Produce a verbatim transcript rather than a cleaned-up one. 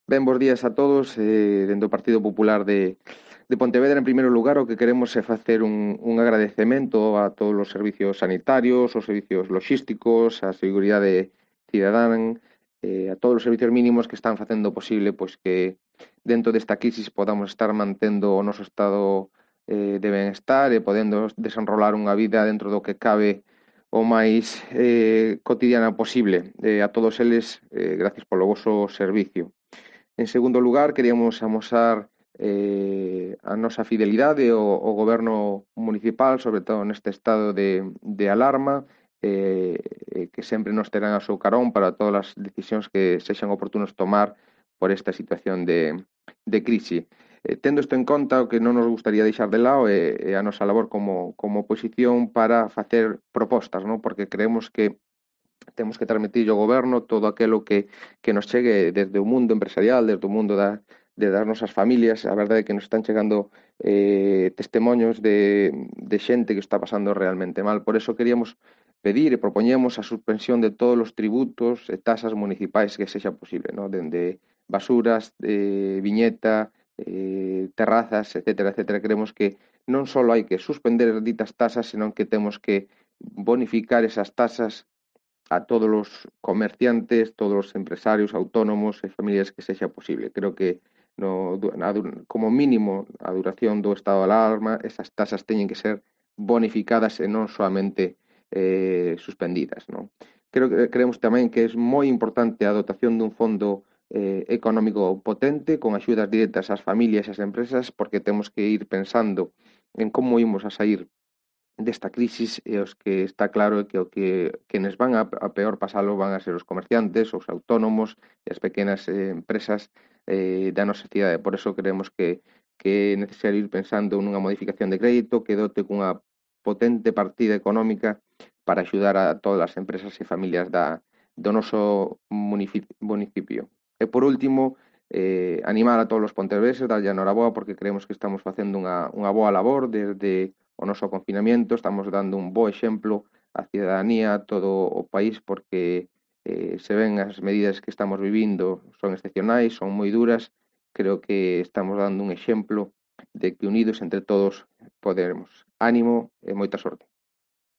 Ben, bos días a todos. Eh, dende o Partido Popular de, de Pontevedra, en primeiro lugar, o que queremos é facer un, un agradecemento a todos os servicios sanitarios, os servicios logísticos, a seguridade cidadán, eh, a todos os servicios mínimos que están facendo posible pois que dentro desta crisis podamos estar mantendo o noso estado eh, de benestar e podendo desenrolar unha vida dentro do que cabe o máis eh, cotidiana posible. Eh, a todos eles, eh, gracias polo voso servicio. En segundo lugar, queríamos amosar eh, a nosa fidelidade ao, ao goberno municipal, sobre todo neste estado de, de alarma, eh, eh, que sempre nos terán a seu carón para todas as decisións que sexan oportunos tomar por esta situación de, de crise. Eh, tendo isto en conta, o que non nos gustaría deixar de lado é, é a nosa labor como, como oposición para facer propostas, non? Porque creemos que temos que transmitir ao goberno todo aquilo que, que nos chegue desde o mundo empresarial, desde o mundo da, de das nosas familias. A verdade é que nos están chegando eh, testemunhos de, de xente que está pasando realmente mal. Por eso queríamos pedir e propoñemos a suspensión de todos os tributos e tasas municipais que sexa posible, ¿no? Dende basuras, eh, viñeta, eh, terrazas, etcétera, etcétera. Creemos que non só hai que suspender ditas tasas, senón que temos que bonificar esas tasas a todos os comerciantes, todos os empresarios, autónomos e familias que sexa posible. Creo que no, na, como mínimo a duración do estado de alarma esas tasas teñen que ser bonificadas e non solamente eh, suspendidas. Non? Creo que creemos tamén que é moi importante a dotación dun fondo eh, económico potente con axudas directas ás familias e ás empresas, porque temos que ir pensando en como imos a sair desta crisis, e os que está claro é que o que quenes van a, a peor pasalo van a ser os comerciantes, os autónomos e as pequenas eh, empresas eh, da nosa cidade. Por eso creemos que, que é necesario ir pensando nunha modificación de crédito que dote cunha potente partida económica para axudar a todas as empresas e familias da, do noso municipio. E por último, eh, animar a todos os pontevedreses, darlle a noraboa, porque creemos que estamos facendo unha, unha boa labor desde o noso confinamento, estamos dando un bo exemplo á cidadanía, a todo o país, porque eh, se ven as medidas que estamos vivindo son excepcionais, son moi duras. Creo que estamos dando un exemplo de que unidos entre todos podemos. Ánimo e moita sorte.